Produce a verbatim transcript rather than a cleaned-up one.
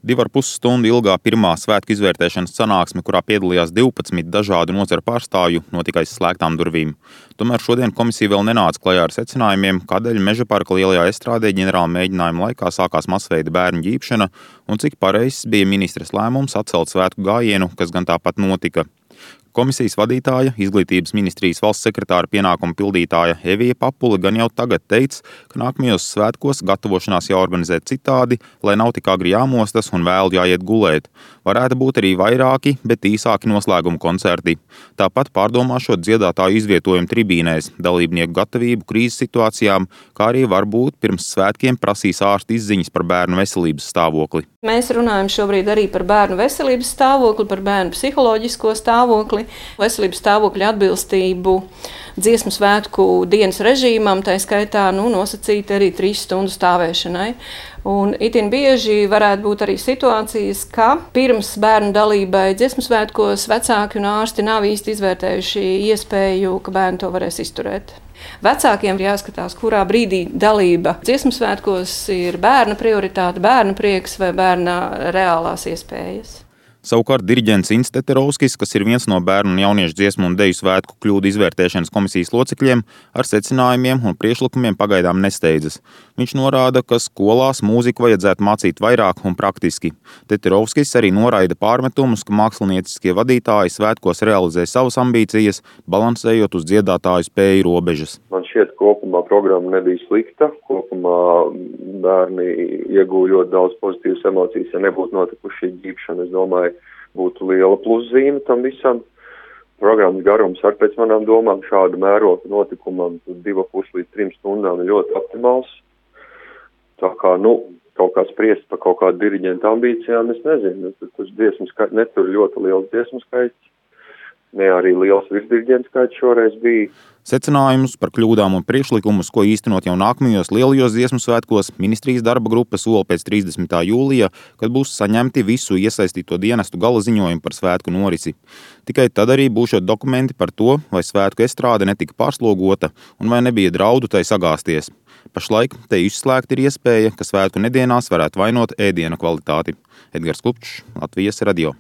Divu ar pus stundu ilgā pirmā svētku izvērtēšanas sanāksme, kurā piedalījās divpadsmit dažādu nozaru pārstāvju, notika aiz slēgtām durvīm. Tomēr šodien komisija vēl nenāca klajā ar secinājumiem, kādēļ Mežaparka lielajā estrādē ģenerāla mēģinājuma laikā sākās masveida bērnu ģībšana un cik pareizs bija ministres lēmums atcelt svētku gājienu, kas gan tāpat notika. Komisijas vadītāja, Izglītības ministrijas valsts sekretāra pienākumu pildītāja Evija Papule gan jau tagad teica, ka nākamajos svētkos gatavošanās jāorganizē citādi, lai nav tik agri jāmostas un vēl jāiet gulēt. Varētu būt arī vairāki, bet īsāki noslēguma koncerti. Tāpat pārdomāšot dziedātāju izvietojumu tribīnēs, dalībnieku gatavību krīzes situācijām, kā arī varbūt pirms svētkiem prasīs ārsta izziņas par bērnu veselības stāvokli. Mēs runājam šobrīd arī par bērnu veselības stāvokli, par bērnu psiholoģisko stāvokli, veselības stāvokļa atbilstību dziesmu svētku dienas režīmam, tā skaitā nu, nosacīti arī trīs stundu stāvēšanai. Un itin bieži varētu būt arī situācijas, ka pirms bērnu dalībai dziesmu svētkos vecāki un ārsti nav īsti izvērtējuši iespēju, ka bērni to varēs izturēt. Vecākiem ir jāskatās, kurā brīdī dalība dziesmu svētkos ir bērna prioritāte, bērna prieks vai bērna reālās iespējas. Savukārt diriģents Inns Teterovskis, kas ir viens no bērnu un jauniešu dziesmu un deju svētku kļūdu izvērtēšanas komisijas locekļiem, ar secinājumiem un priekšlikumiem pagaidām nesteidzas. Viņš norāda, ka skolās mūziku vajadzētu mācīt vairāk un praktiski. Teterovskis arī noraida pārmetumus, ka mākslinieciskie vadītāji svētkos realizē savas ambīcijas, balansējot uz dziedātāju spēju robežas. Man šķiet, kopumā programma nebija slikta, kopumā bērni iegūja ļoti daudz pozitīvas emocijas, ja nebūtu notikuši šī ģībšana, es domāju, būtu liela pluszīme tam visam. Programmas garums ar pēc manām domām šādu mērogu notikumam divu pus līdz trim stundām ir ļoti optimāls. Tā kā, nu, kaut kā spriest par kaut kādu diriģentu ambīcijām, es nezinu. Tas dziesmu skaits, netur ļoti liels dziesmu skaits, ne arī liels virsdiriģentu skaits šoreiz bija. Secinājumus par kļūdām un priekšlikumus, ko īstenot jau nākamajos lielajos dziesmu svētkos, ministrijas darba grupa sola pēc trīsdesmitā jūlijā, kad būs saņemti visu iesaistīto dienestu gala ziņojumi par svētku norisi. Tikai tad arī būšot dokumenti par to, vai svētku estrāde netika pārslogota un vai nebija draudu tai sagāsties. Pašlaik te izslēgta ir iespēja, ka svētku nedienās varētu vainot ēdiena kvalitāti. Edgars Klupčs, Latvijas radio.